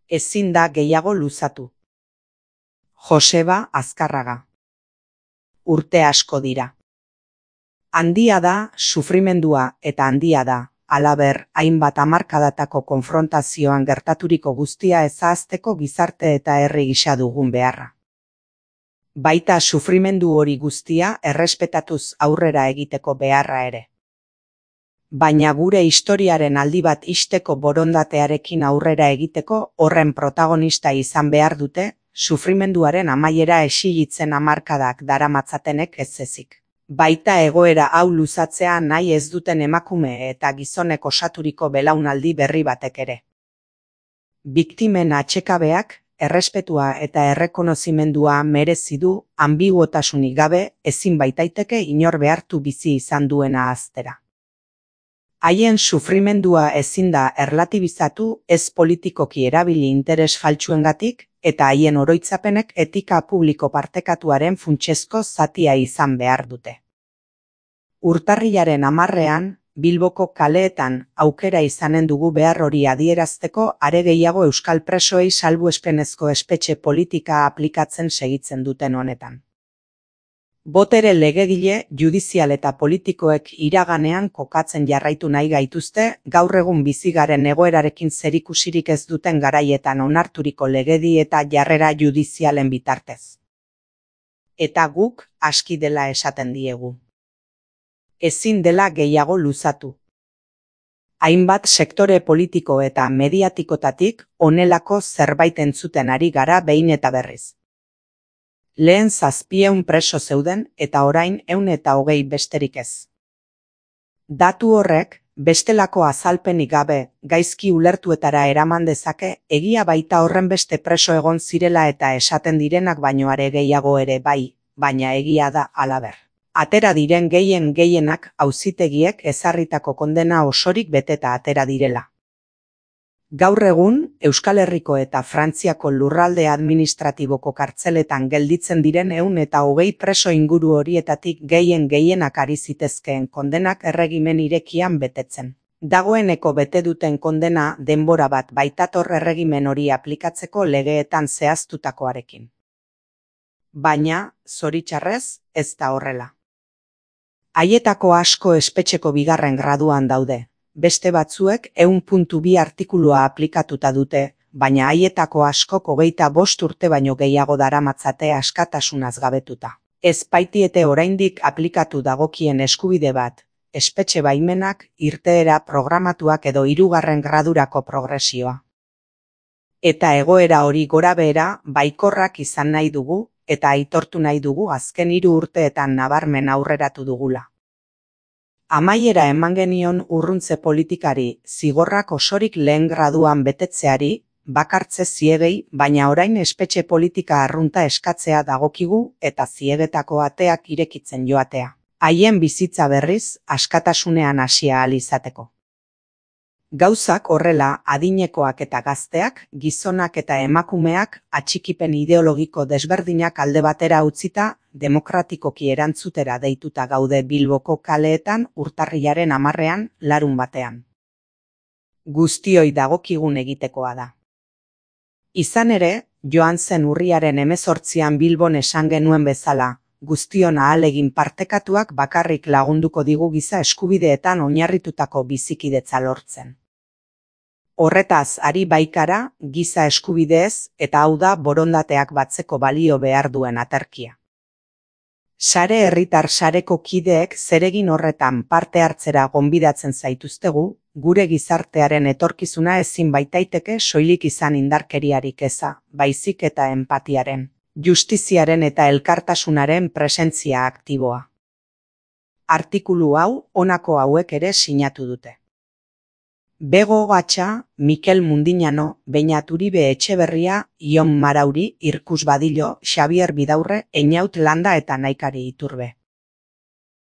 Ezin da gehiago luzatu. Joseba Azkarraga. Urte asko dira. Handia da sufrimendua eta handia da, halaber, hainbat hamarkadatako konfrontazioan gertaturiko guztia ezahazteko gizarte eta herri gisa dugun beharra. Baita sufrimendu hori guztia errespetatuz aurrera egiteko beharra ere. Baina gure historiaren aldi bat ixteko borondatearekin aurrera egiteko horren protagonista izan behar dute, sufrimenduaren amaiera exigitzen hamarkadak daramatzatenek ez ezik. Baita egoera hau luzatzea nahi ez duten emakume eta gizonek osaturiko belaunaldi berri batek ere. Biktimen atsekabeak, errespetua eta errekonozimendua merezi du, anbiguotasunik gabe ezin baitaiteke inor behartu bizi izan duena ahaztera. Haien sufrimendua ezin da erlatibizatu ez politikoki erabili interes faltsuengatik eta haien oroitzapenek etika publiko partekatuaren funtsezko zatia izan behar dute. Urtarrilaren 10ean, Bilboko kaleetan aukera izanen dugu behar hori adierazteko are gehiago euskal presoei salbuespenezko espetxe politika aplikatzen segitzen duten honetan. Botere legegile, judizial eta politikoek iraganean kokatzen jarraitu nahi gaituzte, gaur egun bizigaren egoerarekin zerikusirik ez duten garaietan onarturiko legedi eta jarrera judizialen bitartez. Eta guk aski dela esaten diegu. Ezin dela gehiago luzatu. Hainbat sektore politiko eta mediatikotatik honelako zerbait entzuten ari gara behin eta berriz. Lehen 700 preso zeuden eta orain 120 besterik ez. Datu horrek, bestelako azalpenik gabe, gaizki ulertuetara eraman dezake, egia baita horren beste preso egon zirela eta esaten direnak baino are gehiago ere bai, baina egia da halaber. Atera diren gehienak auzitegiek ezarritako kondena osorik beteta atera direla. Gaur egun, Euskal Herriko eta Frantziako lurralde administratiboko kartzeletan gelditzen diren 120 preso inguru horietatik gehienak ari zitezkeen kondenak erregimen irekian betetzen. Dagoeneko bete duten kondena denbora bat baitator erregimen hori aplikatzeko legeetan zehaztutakoarekin. Baina, zoritxarrez, ez da horrela. Haietako asko espetxeko 2. graduan daude. Beste batzuek 100.2 artikulua aplikatuta dute, baina haietako askok 25 urte baino gehiago daramatzate askatasunaz gabetuta. Ez baitiete oraindik aplikatu dagokien eskubide bat, espetxe baimenak, irteera programatuak edo 3. gradurako progresioa. Eta egoera hori gorabehera baikorrak izan nahi dugu, eta aitortu nahi dugu azken 3 urteetan nabarmen aurreratu dugula. Amaiera eman genion urruntze politikari, zigorrak osorik lehen graduan betetzeari, bakartze ziegei, baina orain espetxe politika arrunta eskatzea dagokigu eta ziegetako ateak irekitzen joatea. Haien bizitza berriz, askatasunean hasia ahal izateko. Gauzak horrela adinekoak eta gazteak, gizonak eta emakumeak atxikipen ideologiko desberdinak alde batera utzita, demokratikoki erantzutera deituta gaude Bilboko kaleetan urtarrilaren 10ean larunbatean. Guztioi dagokigun egitekoa da. Izan ere, joan zen urriaren 18an Bilbon esan genuen bezala, guztion ahalegin partekatuak bakarrik lagunduko digu giza eskubideetan oinarritutako bizikidetza lortzen. Horretaz ari baikara giza eskubideez eta hau da borondateak batzeko balio behar duen aterkia. Sare herritar sareko kideek zeregin horretan parte hartzera gonbidatzen zaituztegu, gure gizartearen etorkizuna ezin baitaiteke soilik izan indarkeriarik eza, baizik eta empatiaren, justiziaren eta elkartasunaren presentzia aktiboa. Artikulu hau honako hauek ere sinatu dute. Bego Gatxa, Mikel Mundinano, Beñat Uribe Etxeberria, Ion Marauri, Irkus Badillo, Xabier Bidaurre, Einaut Landa eta Naikari Iturbe.